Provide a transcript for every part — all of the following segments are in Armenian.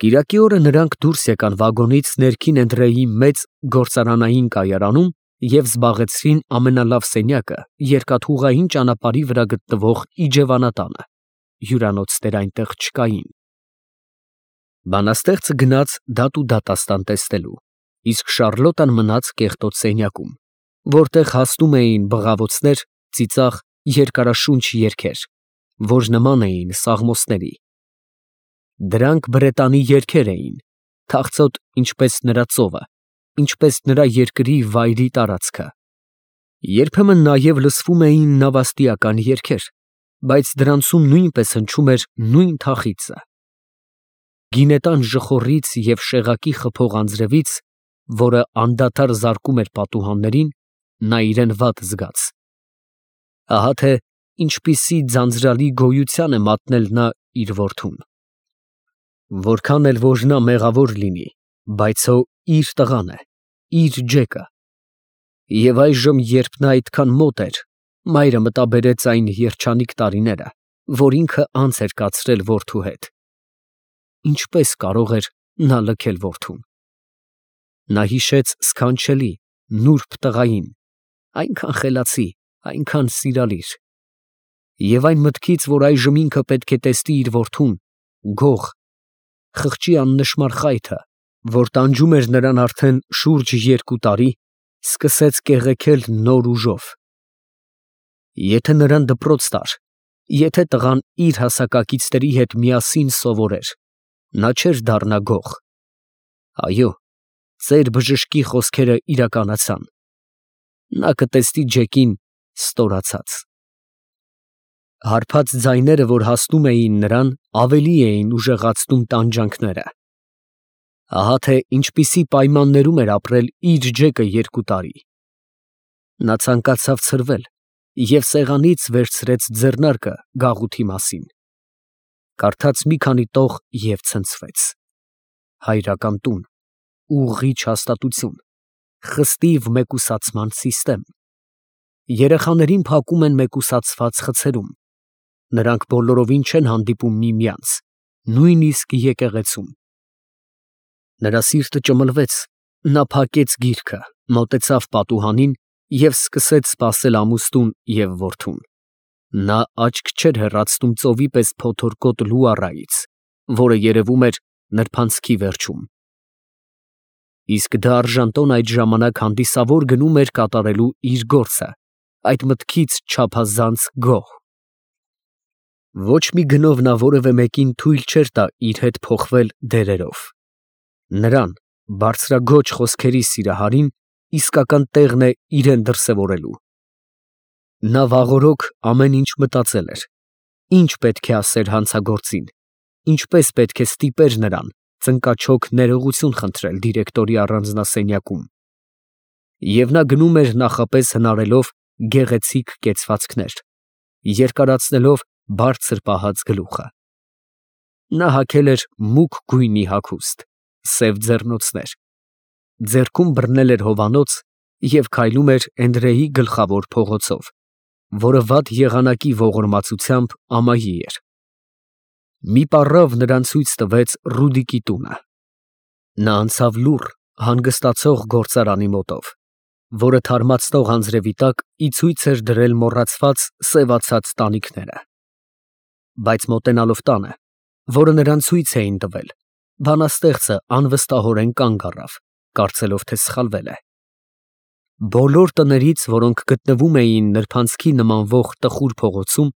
Կիրակի օրը նրանք դուրս եկան վագոնից ներքին Էնդրեի մեծ գործարանային կայարանում և զբաղեցրին ամենալավ սենյակը երկաթուղային ճանապարհի վրա գտնվող իջևանատանը, հյուրանոցներ այնտեղ չկային։ Բանաստեղծը գնաց դատ ու դատաստան տեսնելու, իսկ Շառլոտան մնաց կեղտոտ սենյակում, որտեղ հասնում էին բղավոցներ, ծիծաղ, երկարաշունչ երգեր, որ նման էին սաղմոսների։ Դրանք բրետանի երգեր էին, թախծոտ ինչպես նրա ծովը, ինչպես նրա երկրի վայրի տարածքը։ Երբեմն նաև լսվում էին նավաստիական երգեր, բայց դրանցում նույնպես հնչում էր նույն թախիծը։ Գինետան ժխորից և շեղակի խփող անձրևից, որը անդադար զարկում էր պատուհաններին, նա իրեն վատ զգաց։ Ահա թե ինչպիսի ձանձրալի գոյության է մատնել նա իր որդուն։ Որքան էլ որ նա մեղավոր լինի, բայց հո իր տղան է, իր ջեկը։ Եվ այժմ, երբ նա այդքան մոտ էր, մայրը մտաբերեց այն երջանիկ տարիները, որ ինքը անց էր կացրել որդու հետ։ Ինչպես կարող էր նա լքել որդուն։ Նա հիշեց սքանչելի, նուրբ տղային, այնքան խելացի, այնքան սիրալիր։ Եվ այն մտքից, որ այժմ ինքը պետք է տեսնի իր որդուն, գող, խղճի աննշմար խայթը, որ տանջում էր նրան արդեն շուրջ 2 տարի, սկսեց կեղեքել նոր ուժով։ Եթե նրան դպրոց տար, եթե տղան իր հասակակիցների հետ միասին սովորեր, նա չէր դառնա գող։ Այո, ծեր բժշկի խոսքերը իրականացան։ Նա կտեսնի ջեկին ստորացած։ Հարբած ձայները, որ հասնում էին նրան, ավելի էին ուժեղացնում տանջանքները։ Ահա թե ինչպիսի պայմաններում էր ապրել իր ջեկը 2 տարի։ Նա ցանկացավ ցրվել և սեղանից վերցրեց ձեռնարկը գաղութի մասին։ Կարդաց մի քանի տող և ցնցվեց։ Հայրական տուն, ուղղիչ հաստատություն, խստիվ մեկուսացման սիստեմ։ Երեխաներին փակում են մեկուսացված խցերում։ Նրանք բոլորովին չեն հանդիպում միմյանց, նույնիսկ եկեղեցում։ Նրա սիրտը ճմլվեց, նա փակեց գիրքը, մոտեցավ պատուհանին և սկսեց սպասել ամուսնուն և որդուն։ Նա աչք չէր հեռացնում ծովի պես փոթորկոտ լուառայից, որը երևում էր նրբանցքի վերջում։ Իսկ դարժանտոն այդ ժամանակ հանդիսավոր գնում էր կատարելու իր գործը, այդ մտքից չափազանց գոհ։ Ոչ մի գնով նա որևէ մեկին թույլ չէր տա իր հետ փոխվել դերերով։ Նրան, բարձրաձոչ խոսքերի սիրահարին, իսկական տեղն է իրեն դրսևորելու։ Նա վաղօրոք ամեն ինչ մտածել էր. ինչ պետք է ասեր հանցագործին, ինչպես պետք է ստիպեր նրան, ծնկաչոք ներողություն խնդրել դիրեկտորի առանձնասենյակում։ Եվ նա գնում էր նախապես հնարելով գեղեցիկ կեցվածքներ, երկարացնելով բարձր պահած գլուխը։ Նա հագել էր մուգ գույնի հագուստ, սև ձեռնոցներ, ձեռքում բռնել էր հովանոց և քայլում էր Էնդրեի գլխավոր փողոցով, որը վատ եղանակի ողորմածությամբ ամայի էր։ Մի պառավ նրան ցույց տվեց Ռուդիկի տունը։ Նա անցավ լուռ, հանգստացող գործարանի մոտով, որը թարմացնող անձրևի տակ ի ցույց էր դրել մոռացված սևացած տանիքները։ Բայց մոտենալով տանը, որը նրան ցույց էին տվել, բանաստեղծը անվստահորեն կանգ առավ, կարծելով, թե սխալվել է։ Բոլոր տներից, որոնք գտնվում էին նրբանցքի նմանվող տխուր փողոցում,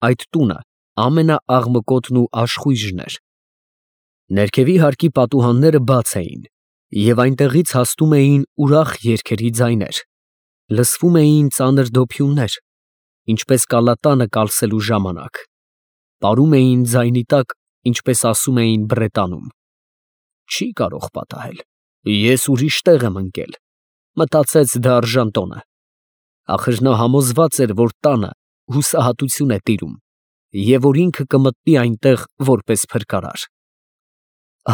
այդ տունը ամենաաղմկոտն ու աշխույժն էր։ Ներքևի հարկի պատուհանները բաց էին, և այնտեղից հասնում էին ուրախ երգերի ձայներ, լսվում էին ծանր դոփյուններ, ինչպես կալատանը կալսելու ժամանակ, պարում էին ձայնի տակ, ինչպես ասում էին Բրետանում։ Չի կարող պատահել, ես ուրիշ տեղ եմ ընկել, մտածեց դարժանտոնը։ Ախր նա համոզված էր, որ տանը հուսահատություն է տիրում, և որ ինքը կմտնի այնտեղ որպես փրկարար։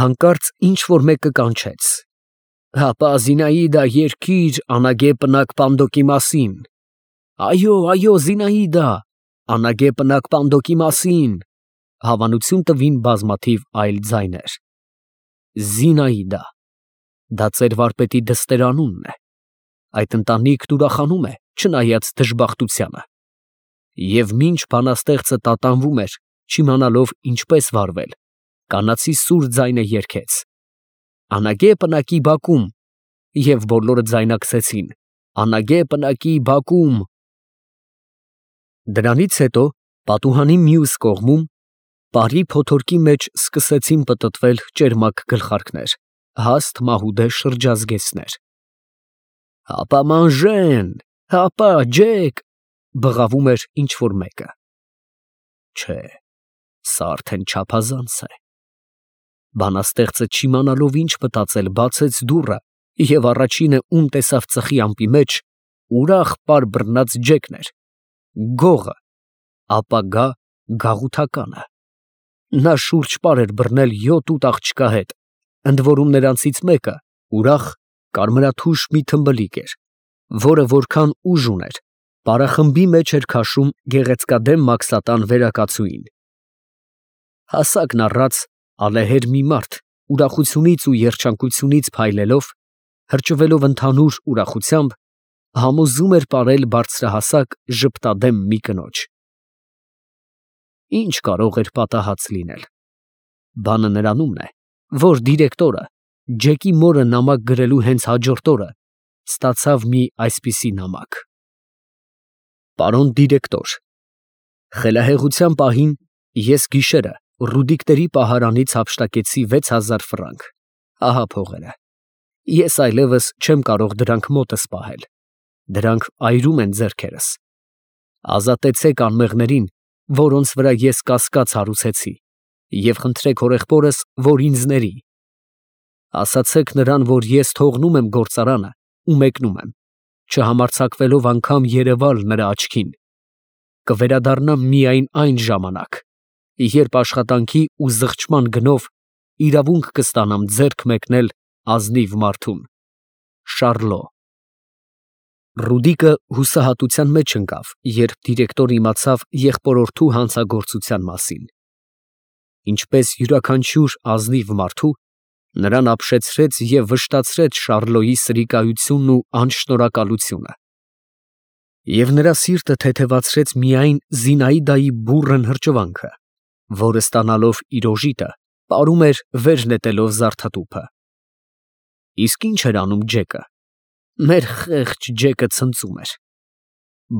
Հանկարծ ինչ֊որ մեկը կանչեց. «Հապա, Զինայդա, երգիր անագե պնակ Պանդոկի մասին»։ «Այո, այո, Զինայդա, անագե պնակ Պանդոկի մասին», հավանություն տվին բազմաթիվ այլ ձայներ։ Զինայդա։ Դա ծեր վարպետի դստերանունն է։ Այդ ընտանիքն ուրախանում է, չնայած դժբախտությանը։ Եվ մինչ բանաստեղծը տատանվում էր, չիմանալով ինչպես վարվել, կանացի սուր ձայնը երգեց. «Անագե պնակի բակում», և բոլորը ձայնակցեցին. «Անագե պնակի բակում»։ Դրանից հետո պատուհանի մյուս կողմում պարի փոթորկի մեջ սկսեցին պտտվել ճերմակ գլխարկներ, հաստ մահուդե շրջազգեստներ։ «Հապա մանժեն, հապա ջեք», բղավում էր ինչ֊որ մեկը։ Չէ, սա արդեն չափազանց է։ Բանաստեղծը չիմանալով ինչ մտածել, բացեց դուռը և առաջինը, ում տեսավ ծխի ամպի մեջ, ուրախ պար բռնած Ջեկն էր, գողը, ապագա գաղութականը։ Նա շուրջ պար էր բռնել 7-8 աղջկա հետ, ընդ որում նրանցից մեկը ուրախ կարմրաթուշ մի թմբլիկ էր, որը որքան ուժ ուներ, պարախմբի մեջ էր քաշում գեղեցկադեմ մաքսատան վերակացուին։ Հասակն առած, ալեհեր մի մարդ, ուրախությունից ու երջանկությունից փայլելով, հրճվելով ընդհանուր ուրախությամբ, համոզում էր պարել բարձրահասակ ժպտադեմ մի կնոջ։ Ինչ կարող էր պատահած լինել։ Բանը նրանումն է, որ դիրեկտորը Ջեկի մորը նամակ գրելու հենց հաջորդ օրը ստացավ մի այսպիսի նամակ. Պարոն դիրեկտոր, խելահեղության պահին ես գիշերը Ռուդիկների պահարանից հափշտակեցի 6000 ֆրանկ, ահա փողերը։ Ես այլևս չեմ կարող դրանք մոտս պահել, դրանք այրում են ձեռքերս։ Ազատեցեք անմեղներին, որոնց վրա ես կասկած հարուցեցի, և խնդրեք հորեղբորս, որ ինձ ների։ Ասացեք նրան, որ ես թողնում եմ գործարանը ու մեկնում եմ, չհամարձակվելով անգամ երևալ նրա աչքին։ Կվերադառնամ միայն այն ժամանակ, երբ աշխատանքի ու զղջման գնով իրավունք կստանամ ձեռք մեկնել ազնիվ մարդուն։ Շառլո։ Ռուդիկը հուսահատության մեջ ընկավ, երբ դիրեկտորը իմացավ եղբորորդու հանցագործության մասին։ Ինչպես յուրաքանչյուր ազնիվ մարդու, նրան ապշեցրեց և վշտացրեց Շառլոյի սրիկայությունն ու անշնորհակալությունը։ Եվ նրա սիրտը թեթևացրեց միայն Զինայդայի բուռն հրճվանքը, որը ստանալով իր օժիտը, պարում էր վեր նետելով զարդատուփը։ Իսկ ի՞նչ էր անում Ջեկը։ Մեր խեղճ Ջեկը ցնծում էր։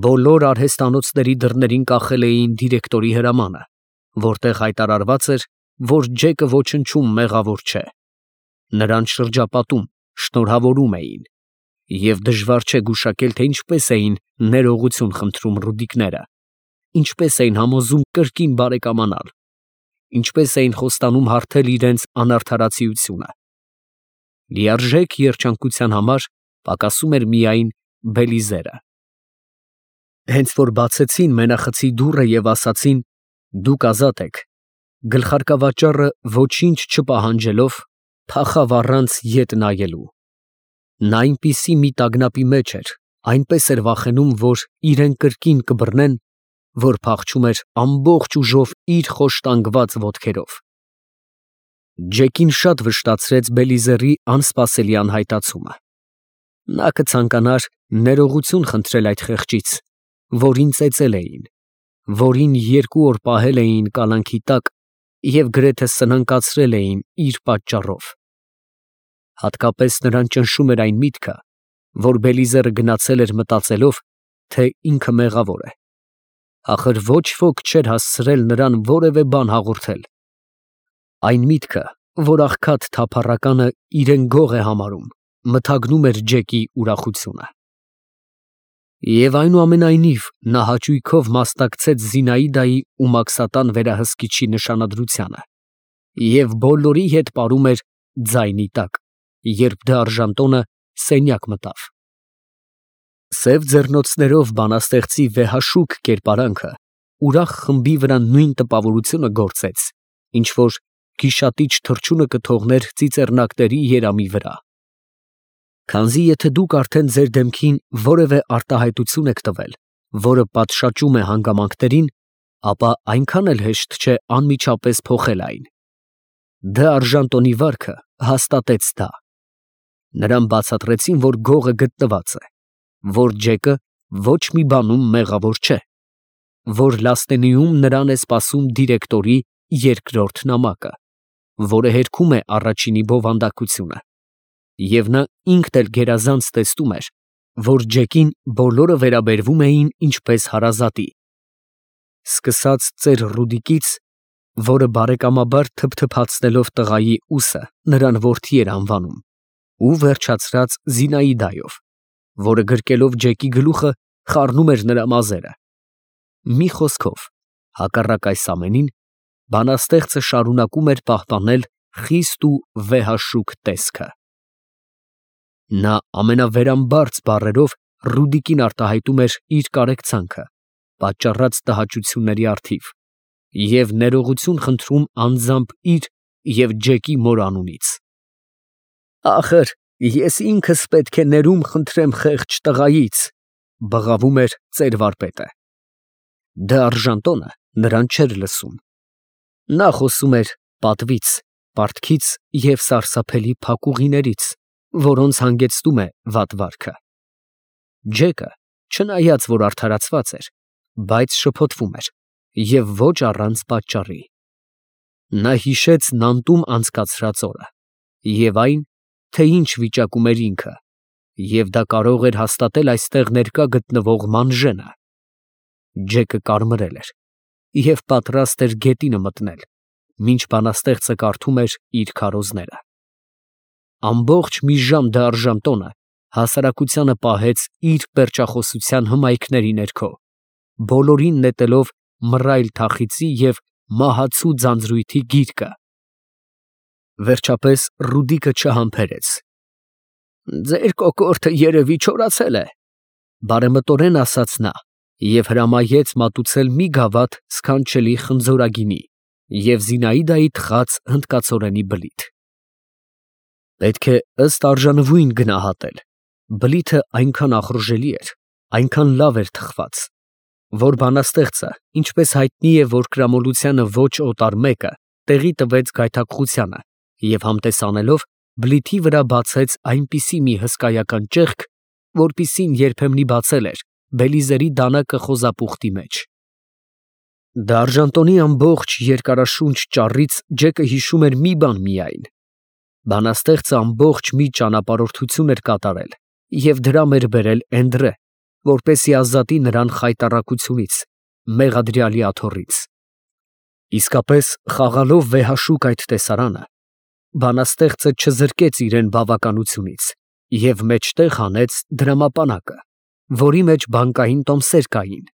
Բոլոր արհեստանոցների դռներին կախել էին դիրեկտորի հրամանը, որտեղ հայտարարված էր, որ Ջեկը ոչնչում մեղավոր չէ։ Նրան շրջապատում, շնորհավորում էին, և դժվար չէ գուշակել, թե ինչպես էին ներողություն խնդրում Ռուդիկները, ինչպես էին համոզում կրկին բարեկամանալ, ինչպես էին խոստանում հարթել իրենց անարդարացիությունը։ Լիարժեք երջանկության համար պակասում էր միայն Բելիզերը։ Հենց որ բացեցին մենախցի դուռը և ասացին. «Դուք ազատ եք», գլխարկավաճառը ոչինչ չպահանջելով փախավ առանց ետ նայելու։ Նա այնպիսի մի տագնապի մեջ էր, այնպես էր վախենում, որ իրեն կրկին կբռնեն, որ փախչում էր ամբողջ ուժով իր խոշտանգված ոտքերով։ Ջեկին շատ վշտացրեց Բելիզերի անսպասելի անհայտացումը։ Նա կցանկանար ներողություն խնդրել այդ խեղճից, որին ծեծել էին, որին 2 օր պահել էին կալանքի տակ և գրեթե սնանկացրել էին իր պատճառով։ Հատկապես նրան ճնշում էր այն միտքը, որ Բելիզերը գնացել էր մտածելով, թե ինքը մեղավոր է։ Ախր ոչ ոք չէր հասցրել նրան որևէ բան հաղորդել։ Այն միտքը, որ աղքատ թափառականը իրեն գող է համարում, մթագնում էր Ջեկի ուրախությունը։ Եվ այնուամենայնիվ նա հաճույքով մասնակցեց Զինայդայի ու մաքսատան վերահսկիչի նշանադրությանը և բոլորի հետ պարում էր ձայնի տակ, երբ դարժան տոնը սենյակ մտավ։ Սև ձեռնոցներով բանաստեղծի վեհաշուք կերպարանքը ուրախ խմբի վրա նույն տպավորությունը գործեց, ինչ որ գիշատիչ թռչունը կթողներ ծիծեռնակների երամի վրա։ Քանզի եթե դուք արդեն ձեր դեմքին որևէ արտահայտություն եք տվել, որը պատշաճում է հանգամանքներին, ապա այնքան էլ հեշտ չէ անմիջապես փոխել այն։ Դե Արժանտոնի վարքը հաստատեց դա։ Նրան բացատրեցին, որ գողը գտնված է, որ Ջեկը ոչ մի բանում մեղավոր չէ, որ Լաստենիում նրան է սպասում դիրեկտորի երկրորդ նամակը, որը հերքում է առաջինի բովանդակությունը, և նա ինքն էլ գերազանց տեսնում էր, որ Ջեկին բոլորը վերաբերվում էին ինչպես հարազատի, սկսած ծեր Ռուդիկից, որը բարեկամաբար թփթփացնելով տղայի ուսը նրան որդի էր անվանում, ու վերջացրած Զինայդայով, որը գրկելով Ջեկի գլուխը խառնում էր նրա մազերը։ Մի խոսքով, հակառակ այս ամենին, բանաստեղծը շարունակում էր պահպանել խիստ ու վեհաշուկ տեսքը։ Նա ամենավերամբարձ բառերով Ռուդիկին արտահայտում էր իր կարեկցանքը, պատճառած տհաճությունների առթիվ, և ներողություն խնդրում անձամբ իր և Ջեկի մոր անունից։ «Ախր ես ինքս պետք է ներում խնդրեմ խեղճ տղայից», բղավում էր ծեր վարպետը։ Դե Արժանտոնը նրան չէր լսում։ Նա խոսում էր պատվից, պարտքից և սարսափելի փակուղիներից, որոնց հանգեցնում է վատ վարքը։ Ջեկը, չնայած որ արդարացված էր, բայց շփոթվում էր, և ոչ առանց պատճառի։ Նա հիշեց Նանտում անցկացրած օրը և այն, թե ինչ վիճակում էր ինքը, և դա կարող էր հաստատել այստեղ ներկա գտնվող Մանժենը։ Ջեկը կարմրել էր և պատրաստ էր գետինը մտնել, մինչ բանաստեղծը կարդում էր իր քարոզները։ Ամբողջ մի ժամ դե Արժանտոնը հասարակությանը պահեց իր պերճախոսության հմայքների ներքո, բոլորին նետելով մռայլ թախիծի և մահացու ձանձրույթի գիրկը։ Վերջապես Ռուդիկը չհամբերեց. «Ձեր կոկորդը երևի չորացել է», բարեմտորեն ասաց նա և հրամայեց մատուցել մի գավաթ սքանչելի խնձորագինի և Զինայդայի թխած հնդկացորենի բլիթ։ Պետք է ըստ արժանվույն գնահատել, բլիթը այնքան ախորժելի էր, այնքան լավ էր թխված, որ բանաստեղծը, ինչպես հայտնի է, որ կրամոլությանը ոչ օտար մեկը տեղի տվեց գայթակղությանը և համտես բլիթի վրա բացեց այնպիսի մի հսկայական ճեղք, որպիսին երբեմնի բացել էր Բելիզերի դանակը խոզապուխտի մեջ։ Դե Արժանտոնի ամբողջ երկարաշունչ ճառից Ջեկը հիշում էր մի բան միայն. բանաստեղծը ամբողջ մի ճանապարհորդություն էր կատարել և դրամ էր բերել Էնդրե, որպեսզի ազատի նրան խայտառակությունից, մեղադրյալի աթոռից։ Իսկապես, խաղալով վեհաշուկ այդ տեսարանը, բանաստեղծը չզրկեց իրեն բավականությունից և մեջտեղ հանեց դրամապանակը, որի մեջ բանկային տոմսեր կային։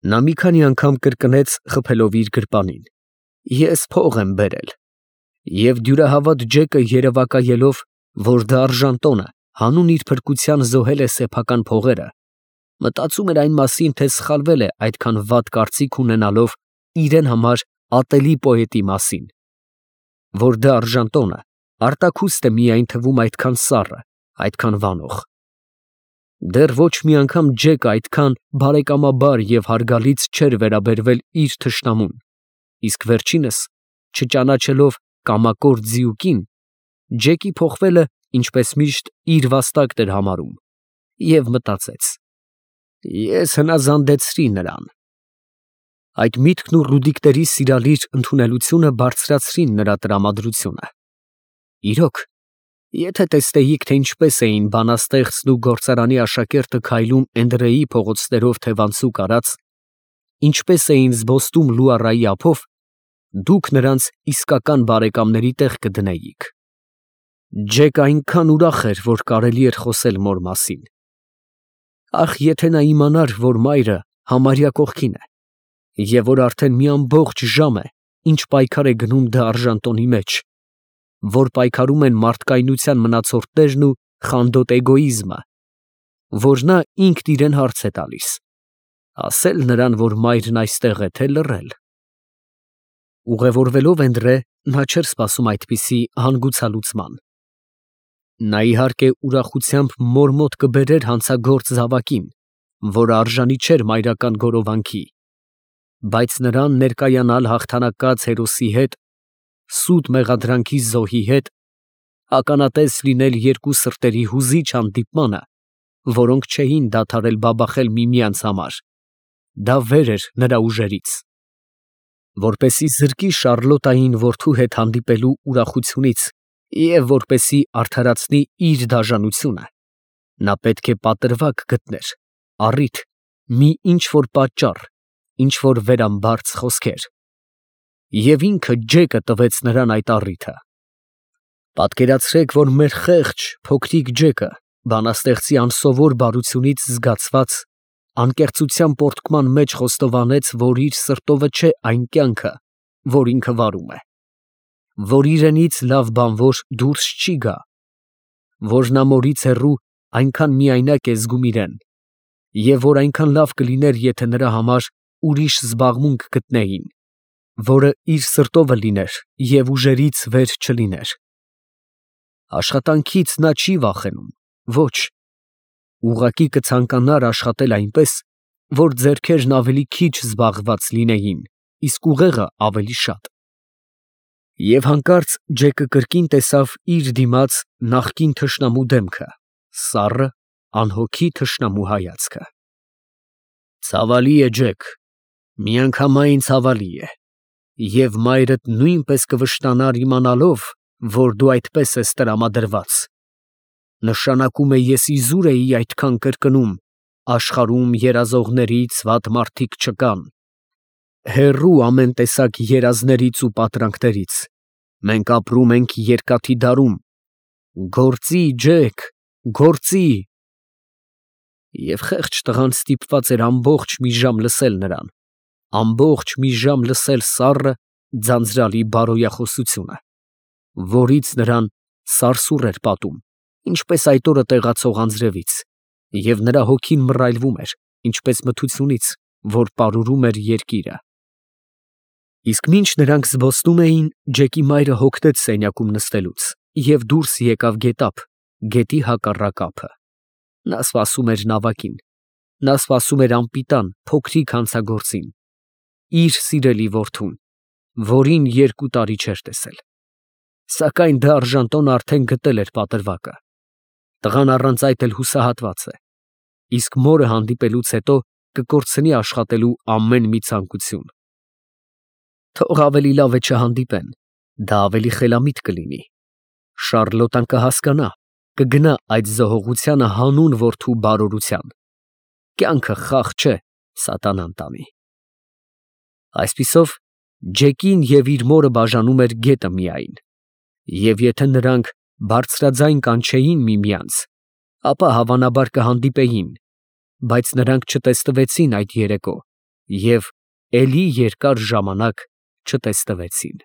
Նա մի քանի անգամ կրկնեց խփելով իր գրպանին. «Ես փող եմ բերել», և դյուրահավատ Ջեկը երևակայելով, որ դե Արժանտոնը հանուն իր փրկության զոհել է սեփական փողերը, մտածում էր այն մասին, թե սխալվել է այդքան վատ կարծիք ունենալով իրեն համար ատելի պոետի մասին, որ դե Արժանտոնը արտաքուստ է միայն թվում այդքան սառը, այդքան վանող։ Դեռ ոչ մի անգամ Ջեկը այդքան բարեկամաբար և հարգալից չէր վերաբերվել իր թշնամուն, իսկ վերջինս, չճանաչելով կամակոր ձիուկին, Ջեկի փոխվելը, ինչպես միշտ, իր վաստակն էր համարում և մտածեց. «Ես հնազանդեցրի նրան»։ Այդ միտքն ու Ռուդիկների սիրալիր ընդունելությունը բարձրացրին նրա տրամադրությունը։ Իրոք, եթե տեսնեիք, թե ինչպես էին բանաստեղծն ու գործարանի աշակերտը քայլում Էնդրեի փողոցներով թևանցուկ արած, ինչպես էին զբոստում Լուարայի ափով, դուք նրանց իսկական բարեկամների տեղ կդնեիք։ Ջեկը այնքան ուրախ էր, որ կարելի էր խոսել մոր մասին։ Ախ, եթե նա իմանար, որ մայրը համարյա կողքին է, և որ արդեն մի ամբողջ ժամ է, ինչ պայքար է գնում դե Արժանտոնի մեջ, որ պայքարում են մարդկայնության մնացորդներն ու խանդոտ էգոիզմը, որ նա ինքն իրեն հարց է տալիս. ասել նրան, որ մայրն այստեղ է, թե լռել։ Ուղևորվելով Էնդրե, նա չէր սպասում այդպիսի հանգուցալուծման։ Նա իհարկե ուրախությամբ մոր մոտ կբերեր հանցագործ զավակին, որը արժանի չէր մայրական գորովանքի, բայց նրան ներկայանալ հաղթանակած հերոսի հետ սուտ մեղադրանքի զոհի հետ, ականատես լինել երկու սրտերի հուզիչ հանդիպմանը, որոնք չէին դադարել բաբախել միմյանց համար, դա վեր էր նրա ուժերից։ Որպեսզի զրկի Շառլոտային որդու հետ հանդիպելու ուրախությունից և որպեսզի արդարացնի իր դաժանությունը, նա պետք է պատրվակ գտներ, առիթ, մի ինչ-որ պատճառ, ինչ-որ վերամբարձ խոսքեր։ Եվ ինքը Ջեկը տվեց նրան այդ առիթը։ Պատկերացրեք, որ մեր խեղճ, փոքրիկ Ջեկը, բանաստեղծի անսովոր բարությունից զգացված, անկեղծության պոռթկման մեջ խոստովանեց, որ իր սրտովը չէ այն կյանքը, որ ինքը վարում է, որ իրենից լավ բանվոր դուրս չի գա, որ նա մորից հեռու այնքան միայնակ է զգում իրեն, և որ այնքան լավ կլիներ, եթե նրա համար ուրիշ զբաղմունք գտնեին, որը իր սրտովը լիներ և ուժերից վեր չլիներ։ Աշխատանքից նա չի վախենում, ոչ, ուղղակի կցանկանար աշխատել այնպես, որ ձեռքերն ավելի քիչ զբաղված լինեին, իսկ ուղեղը ավելի շատ։ Եվ հանկարծ Ջեկը կրկին տեսավ իր դիմաց նախկին թշնամու դեմքը, սառը, անհոգի թշնամու հայացքը։ Ցավալի է, Ջեք, միանգամայն ցավալի է, և մայրդ նույնպես կվշտանար իմանալով, որ դու այդպես ես տրամադրված. նշանակում է ես իզուր էի այդքան կրկնում, աշխարհում երազողներից վատ մարդիկ չկան, հեռու ամեն տեսակ երազներից ու պատրանքներից, մենք ապրում ենք երկաթի դարում, գործի, Ջեք, գործի։ Եվ խեղճ տղան ստիպված էր ամբողջ մի ժամ լսել նրան, ամբողջ մի ժամ լսել սառը, ձանձրալի բարոյախոսությունը, որից նրան սարսուռ էր պատում, ինչպես այդ օրը տեղացող անձրևից, և նրա հոգին մռայլվում էր, ինչպես մթությունից, որ պարուրում էր երկիրը։ Իսկ մինչ նրանք զբոսնում էին, Ջեկի մայրը հոգնեց սենյակում նստելուց և դուրս եկավ գետափ, գետի հակառակ ափը։ Նա սպասում էր նավակին, նա սպասում էր անպիտան, փոքրիկ հանցագործին, իր սիրելի որդուն, որին 2 տարի չէր տեսել։ Սակայն դա արժանտոն արդեն գտել էր պատրվակը։ Տղան առանց այդ էլ հուսահատված է, իսկ մորը հանդիպելուց հետո կկորցնի աշխատելու ամեն մի ցանկություն։ Թող ավելի լավ է չհանդիպեն, դա ավելի խելամիտ կլինի։ Շառլոտան կհասկանա, կգնա այդ զոհողությանը հանուն որդու բարօրության։ Կյանքը խաղ չէ սատանան տանի։ Այսպիսով, Ջեկին և իր մորը բաժանում էր գետը միայն, և եթե նրանք բարձրաձայն կանչեին միմյանց, ապա հավանաբար կհանդիպեին, բայց նրանք չտեստվեցին այդ երեկո և էլի երկար ժամանակ չտեստվեցին։